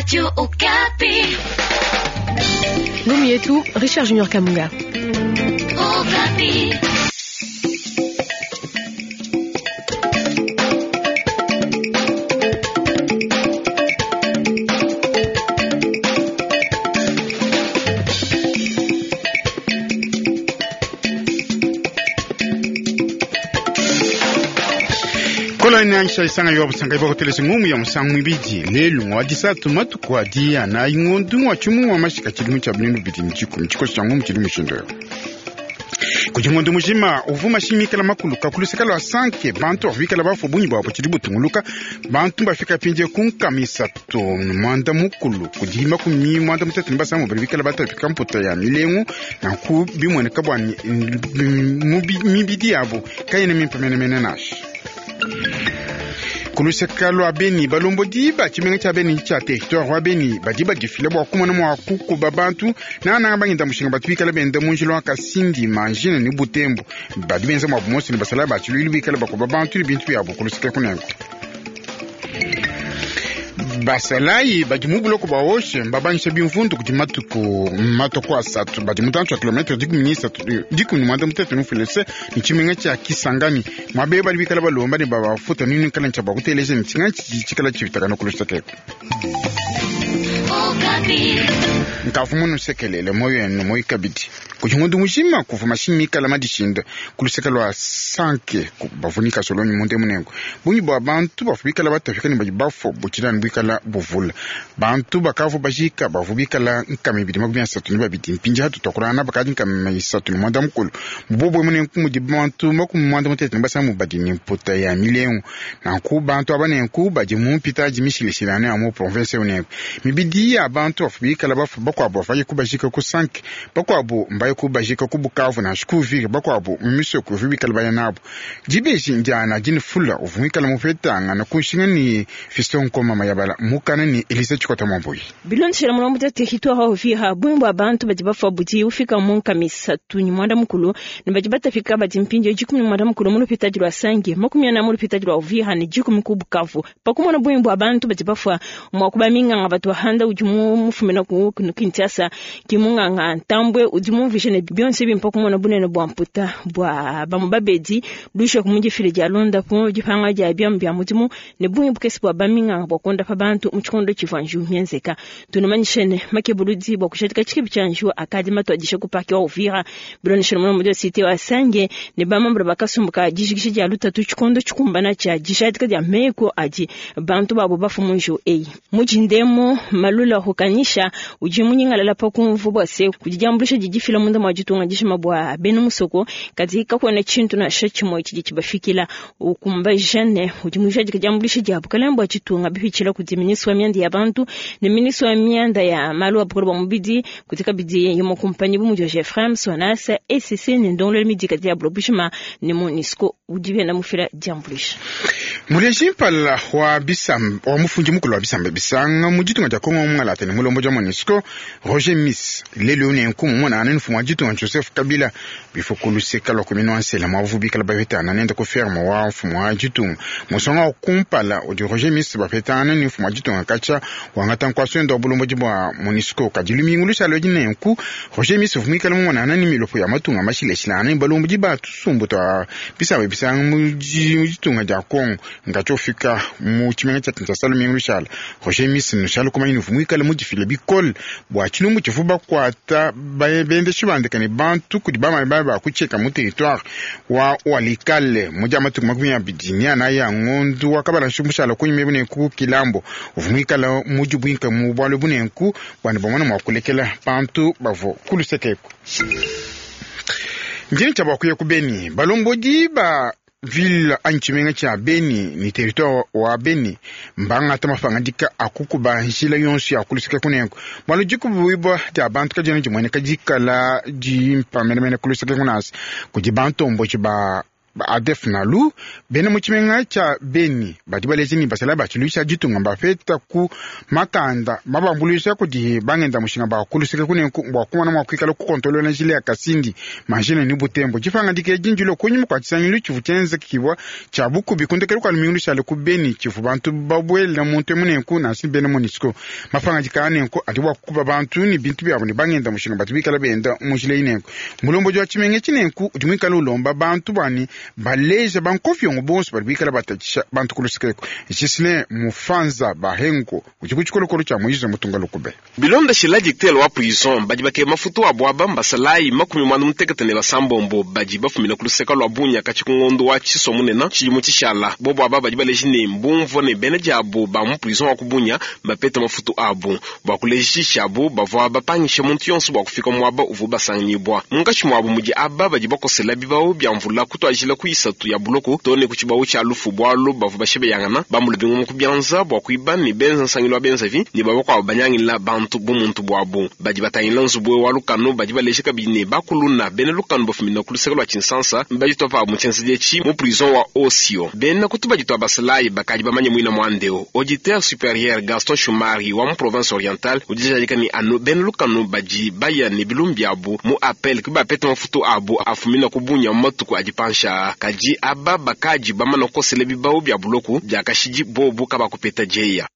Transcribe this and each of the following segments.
Radio Okapi. Ngumu yetu Richard Junior Kamunga. Okapi. Kolani ansha isanga yo busanga ibo kutelesa ngumu ya musangu mwibidi lelu ngwa disatu matuku adi ana ingondu wa chumu wa mashika chilimu cha blindu bidi mchiko mchiko cha ngumu chilimu shindo kudi ngondo mujima uvuma shimikala makuluka kuluseka lwa sanke bantu bafikala bafu bunyi bwabo chili butunguluka bantu bafika pinje kunkamisa to mwanda mukulu kudi makumi mwanda mutatu ni basamu bali bikala batapika mputa ya milengu na ku bimweneka bwa mibidi yabo kayene mimpa menemene nasha kuluseka lwa beni balombodi ba tshimenga tshia beni tshia territoire wa beni badi badifila bua kumona mua kukuba bantu nananga bangenda mushinga batu bikala benda mu njila wa kasindi manjina ni butembo badi benza mua bumosi ne basala ba tshiluilu bikala bakuba bantu ne bintu biabu kuluseka kunengo basalayi badi mu buloko bwa oshe mbabanyisha bimvundu kudi matuku matuku asatu badi mutantshi wa kilometre dikumi ni mwanda mutatu nufilese ni tshimenga tshia kisangani mwabe badi bikala balomba ne babafuta nini kala ntshia bua kuteleja ne tshinga tshikala tshivitakana kulusekeko Okapi. nkavu munu sekelele moyo enu moyo kabidi kudi ngondo mujima kuva mashimi ikala madishinda kuluseka lwa sanke bavunika solonyi munde munengo bunyi bwa bantu bavu bikala batafika ne badi bafua butshilani buikala buvula bantu bakavu bajika bavu bikala nkama ibidi makumi asatu ne babidi mpinji hatu twakulana bakadi nkama isatu ne mwanda mukulu mubobwe munenku mudi bantu makumi mwanda mutete ne basamu badi ne mputa ya milengu nanku bantu aba nenku badi mu mpita adi mishileshilane ya mu province unenku mibidi ya bantu bavu bikala bafu bakuabu baye kubajika ku sanke bakuabu mbaye kubajika ku bukavu na shikuvira bakuabu mumisoko uvu bikala baya nabo dibeji ndiana dini fula uvu mwikala mupetanga na kunshinga ni fiston nkoma mayabala mukana ni elisa tshikota mwambuyi bilondeshela mulombo dia territoire wa uvira bungi bua bantu badi bafua budi ufika mu nkama isatu ni mwanda mukulu ne badi batafika badi mpindieu dikumi ni mwanda mukulu mu lupitadi lua sange makumi ana mu lupitadi lua uvira ne dikumi ku bukavu pakumona bungi bua bantu badi bafua mua kuba minganga batu bahanda udi mu mufumina ku ku kinshasa ki munganga ntambwe udi mumvishe ne bionso bimpa kumona bunene bua mputa bua bamue babedi lusha ku mudifile dia londapu dipanga dia biamu bia mudimu ne bungi bukese bua baminganga bua kuondapa bantu mu tshikondo tshivua njiwu mienzeka tunamanyishe ne makebuludi bua kushadika tshikibi tshia njiwu akadi matuadisha ku parke wa uvira bilondeshele mulombo dia cité wa sange ne bamambula bakasumbuka dijikisha dia lutatu tshikondo tshikumbana tshia dishadika dia meko adi bantu babo bafu mu njiwu eyi mujindemo malula hukanyisha udi munyingalala pa kumvu bua se kudi diambulisha didifila munda mua ditunga dishima bua bena musoko kadi kakuena tshintu nansha tshimue tshidi tshibafikila ukumbaja ne udi mujadika diambulisha dia bukalenge bua ditunga bipitshila kudi ministre wa mianda ya bantu ne ministre wa mianda ya malu a bukole bua mubidi kudi kabidi imue kumpanyi bu mudi wa gfrem sonasa ecc ne ndongoluelu midika dia bulo bushima ne monusco udi benda mufila diambulisha muleji mpala wa bisamba wa mufundi mukulu wa bisamba bisanga mu ditunga dia kongo mungalata ne mulombo dia monusco roger miss lelu nenku mumona ane mfumu wa ditunga joseph kabila bifo kuluseka lua kuminu wa nsela mwavu bikala bapetana nende ku ferme wa mfumu wa ditunga musonga wa kumpala udi roger miss bapetana ne mfumu wa ditunga katshia wangata nkuaso enda wa bulombodi bua monusco kadi lumingu lushala edi nenku roger miss vumikala mumona ane ne milopo ya matunga mashilashilana ne balombodi ba tusumbu tua bisamba bisanga mu ditunga dia kongo ngathi ofika mu tshimenga tshia kinshasa lumingu lushala roger miss nushala kumanya ne vumuikala mudifile bikole bua tshilumbu tshivu bakuata bendeshi bandika ne bantu kudi bamami babe bakutshieka mu territoire wa walikale mu dia matuku makumi abidi ni ana ya ngondu wakabala mushala kunyuma bunenku kilambo uvumuikala mudibwinka mu bwalo bunenku bwani bamona mua kulekela bantu bavo kulusekeku njini tshia bua kuya ku beni balombodi ba ville anyi tshimenga tshia beni ni territoire wa beni mbangata mapangadika akukuba njila yonso ya kuluseka kunenku bwalo dikubuibwa dia bantu kadiena dimueneka dikala dimpa menemene kuluseka kunasi kudi bantomboji ba Ba ADF Nalu, bena mu tshimenga tshia Beni badi baleja ne basalayi ba tshiluilu tshia ditunga mbapeta ku makanda mabambuluisha kudi bangenda mushinga ba ku luseke kunenku bua kumona mua kuikala kukontolola njila ya Kasindi, Mangina ne Butembo. Dipangadika edi ndilue kunyima kua tshisangilu tshivua tshienzekibua tshia bukubi ku ndekelu kua lumingu lushale ku Beni tshivua bantu babuela muntu emu nenku nansha bena Monusco. Mapangadika a nenku adi bua kukuba bantu ne bintu biabu ne bangenda mushinga batu bikala benda mu njila eyi nenku. Mulombodi wa tshimenga etshi nenku udi muikale ulomba bantu bua ne baleja bankofiongo bonso badi bikala batatshisha bantu ku luseke eku. Ghislain Mufanza Bahengo udi ku tshikolokolo tshia Moise Mutunga Lukube. Bilondeshila dictateur wa prison, badi bakeba mafutu abu aba mbasalayi 56 badi bafumina ku luseka lua Bunia katshi ku ngondo wa Tshisua munena tshidimu tshishala. Bobu aba badi baleji ne mbumvua ne bena diabu ba mu prison wa ku Bunia mbapeta mafutu abu. Bua kulejishabu, bavua bapangisha muntu yonso bua kufika muaba uvua basanganyibua. Munkatshi muabu mudi aba badi bakosela bibawu bia mvula kutuadijila ku isatu ya buloko too ne ku tshibawu tshia lufu bualu bavua bashebeyangana, bambula bingoma ku bianza bua kuiba ne benza nsangilu wa benzavi ne ba bakuabu banyangila bantu bumuntu buabu. Badi batangila nzubu wa lukanu badi baleja kabidi ne, bakuluna bena lukanu bafumina ku luseke lua Tshinsansa mbaditua pabu mu tshienzedi etshi mu prison wa Osio. Bena ku tubadi tua basalayi bakadi bamanye muina muanda eu. Auditeur superieur Gaston Shumari wa mu province orientale udi ujadika ne, anu bena lukanu badi baya ne bilumbu biabu mu appel ke bapeta mafutu abu afumina ku Bunia mu matuku adi panshi aa. Kadi aba bakadi bamana kukosela bibawu bia buloku bia kashidi bobu kabakupeta dieya.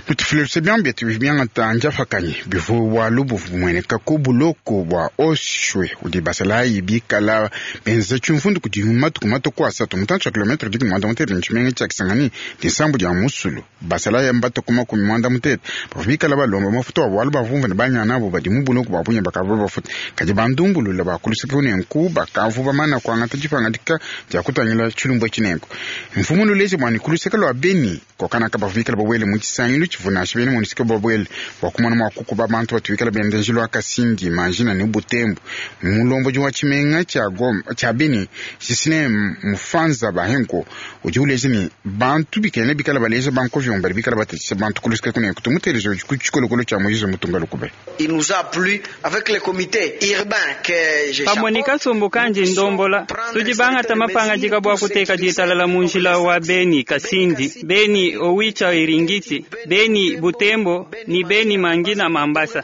Nutufile luse biamu bietu bivua biangata ndiapakanyi bivua bualu buvua bumueneka ku buloko bua Oshwe udi basalayi bikala benza tshimvundu kudi matuku matue ku asatu mutantshi wa kilometre 37 ne tshimenga tshia Kisangani disambu dia musulu. Basalayi mbatue ku 50 bavua bikala balomba mafutu abu bualu bavua bumvua ne banyana abu badi mu buloko bua Bunia bakavua babafuta. Kadi bandumbulula ba ku luseke nenku bakavua bamana kuangata dipangadika dia kutangila tshilumbu etshi nenku mfumu nuleje bua ne ku luseke lua Beni Kokanaka bavua bikale babuele mu tshisangilu tshivua nansha bena MONUSCO babuele bua kumona mua kukuba bantu batu bikale benda njila wa Kasindi, Mangina ne Butembo. Mulombodi wa tshimenga tshia Goma, tshia Beni, Ghislain Mufanza Bahenko udi uleja ne, bantu bikena bikale baleja bankovion badi bikale batatshisha bantu ku luseke kuneku. Tumuteleje udi ku tshikolokolo tshia Moise Mutunga Lukube. Il nous a plu avec le comité urbain que je Pamue ne kasumbu kandi ndombola, tudi bangata mapangadika bua kuteka ditalala mu njila wa Beni Kasindi, Beni Owicha Eringeti, Beni Butembo ne Beni Mangina Mambasa.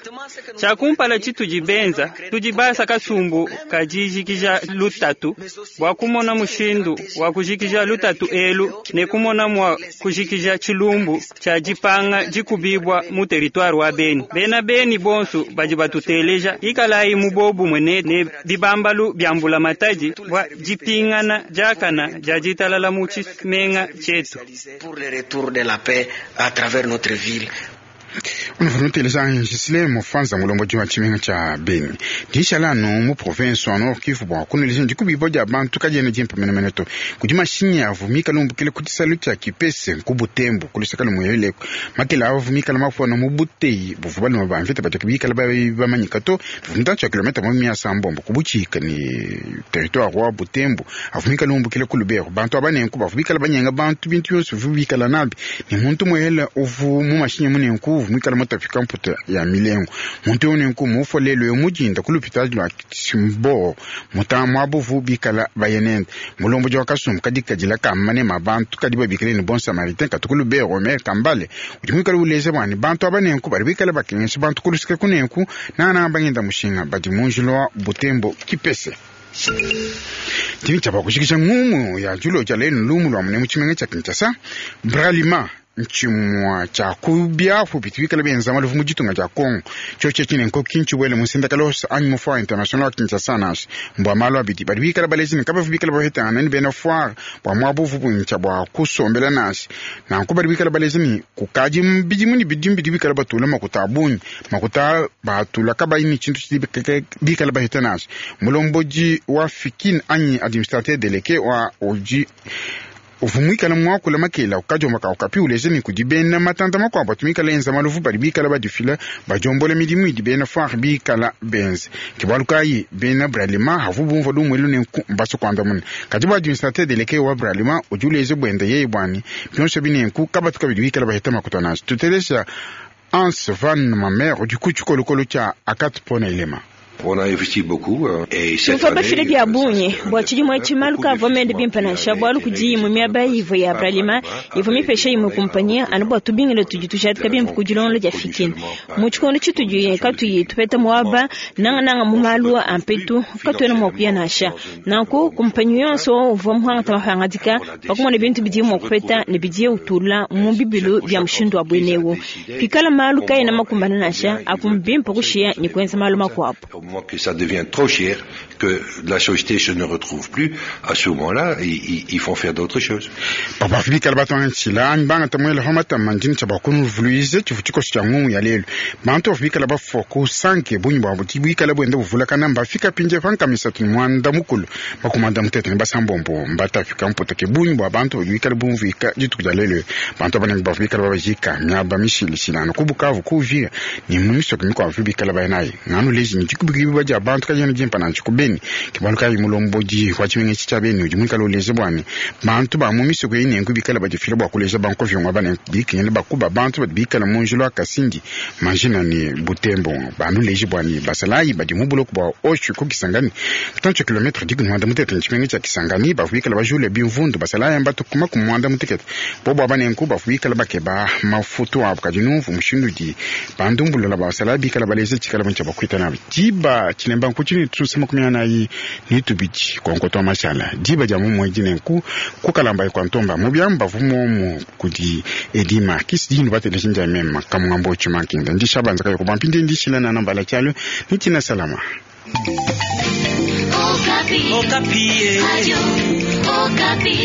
Tshia kumpala tshitudi benza, tudi basa kasumbu ka dijikija lutatu bua kumona mushindu wa kujikija lutatu elu ne kumona mua kujikija tshilumbu tshia dipanga dikubibua mu teritware wa Beni. Bena Beni bonsu badi batuteleja, ikalayi mu bobumue ne bibambalu bia mbulamatadi bua dipingana diakana dia ditalala mu tshimenga tshietu. Pour le retour de la paix à travers notre ville. Unuvua nuteleja Ghislain Mufanza, mulombodi wa tshimenga tshia Beni. Dishala anu mu province wa Nord Kivu bua kunuleja dikubibua dia bantu kadiena dimpe menemene to. Kudi mashinyi avua mikale umbukile ku tshisalu tshia Kipese ku Butembo ku luseke lumue Makela avua mikale mafuana mu buteyi buvua balume ba mvita badi bikale bamanyika to bivua mutantshi wa kilometa makumi asambombo ku butshika ne territoire wa Butembo avua mikale umbukile ku Lubero. Bantu aba nenku bavua bikale banyenga bantu bintu bionso bivua bikala nabi ne muntu muele uvua mu mashinyi mu nenku uvua muikale mutapika mputa ya milengu. Muntu eu nenku mufua lelu eu mudinda ku lupitadi lua Kimboo muta muaba uvua bikala baye nende. Mulombodi wa kasumbu kadi kadila ka manema a bantu kadi babikile ne Bon Samaritain katu ku Lubero Omer Kambale udi muikale uleja bua ne bantu aba nenku badi bikale bakengesha bantu ku luseke ku nenku nangananga bangenda mushinga badi mu njila wa Butembo Kipese. Tshini tshia kujikija ngumu ya diulo dia lelu lumu lua mune mu tshimenga tshia Kinshasa Bralima ntshimua tshia ku biapu bitu bikale benza maluvu mu ditunga dia Congo. Tshiotshi etshi nenku ki ntshibuele mu nsendakalosa anyi mu foire international wa Kinshasa nansha. Mbua malu abidi badi bikale baleja ne kabavu bikale bapetangana ne bena foire bua muaba uvu buintsha bua kusombela nansha. Nanku badi bikale baleja ne kukadi bidimu ne bidimu bidi bikale batula makuta a bungi, makuta batula kabayi ne tshintu tshidi bikale baheta nansha. Mulombodi wa Fikin anyi administrateur delege wa udi uvua muikale muakula makela ukadiomba kaukapi uleja ne kudi bena matanta makuabu atu mikale enza maluvu badi bikala badifila badiombola midimu idi bena foire bikala benze. Ke bualu kayi bena Bralima havu bumvua lumu elu nenku mbasu kuandamuna. Kadi bua administrateur delege wa Bralima udi uleja buenda yeye buani bionso binenku kabatu kabidi bikala baheta makuta nansha. Tutelesha Hans Van Mamer udi ku tshikolokolo tshia Akat Pona Elema. Tuvua bafile bia bungi bua tshidimu etshi. Malu kaavua mende bimpe nansha, bualu kudi imue miaba ivua ya Bralima ivua mipesha imue kumpanyi anu bua tubingila tudi tujadika bimpe ku dilongolola dia Fikin. Mu tshikondo tshitudi katuyi tupeta muaba, nangananga mu malu a mpetu, katuena mua kuya nansha. Nanku kumpanyi yonso uvua muangata mapangadika pa kumona bintu bidiye mua kupeta ne bidiye utula mu bibilu bia mushindu wa buena eu. Pikala malu kaena makumbane nansha, apu mbimpe kushiya ne kuenza malu makuabu. Au moment que ça devient trop cher, que la société se ne retrouve plus, à ce moment-là, ils, ils font faire d'autres choses. Papa bikala batwantshila mbanga tamuela homata mandini tsha bakunuvuluize tshivu tshikoso tshia ngungu ya lelu. Bantu bavua bikala bafua ku sanke bungi bwabo bikala bwenda buvulakana mbafika pinje pankamisatu ne mwanda mukulu makumanda mutete ne basambombo mbatafika mpoteke bungi bwa bantu badi bikala bumvuika dituku dia lelu. Bantu abanengi bavua bikala babajika miaba mishilishilana ku Bukavu, ku Uvira ne mu misoko mikuabu bikala baya nayi nganu leji ne dikubikiba dia bantu kajena dimpa nansha ku Beni. Ke bualu kayi mulombodi wa tshimenga etshi tshia Beni udi muikale uleja bua ne bantu ba mu misoko eyi nenku bikala badifila bua kuleja bankovyongo aba nenku bikengela bakuba bantu badi bikala mu njila wa Kasindi, Mangina ne Butembo. Bantu leji bua ne basalayi badi mu buloko bua Oshu ku Kisangani, mutantshi wa kilometre dikumi ne muanda mutekete ne tshimenga tshia Kisangani, bavua bikala bajule bimvundu. Basalayi mbatu ku makumi muanda mutekete bobo aba nenku bavua bikala bakeba mafutu abu. Kadi numvu mushindu udi bandumbulula ba basalayi bikala baleja tshikala bungi tshia bakuita nabi diba tshilemba nkutshinyi tusa 42 konkoto wa mashala diba dia mumwedi nenku kukalamba kwa ntomba mu byamba vumomu kudi Edi Marquis dinu bateleji ndia mema kamungambo chimankinda ndishabanza kayo kuba mpindi ndishila na nambala chalo nitina salama. Okapi. Okapi. Radio Okapi.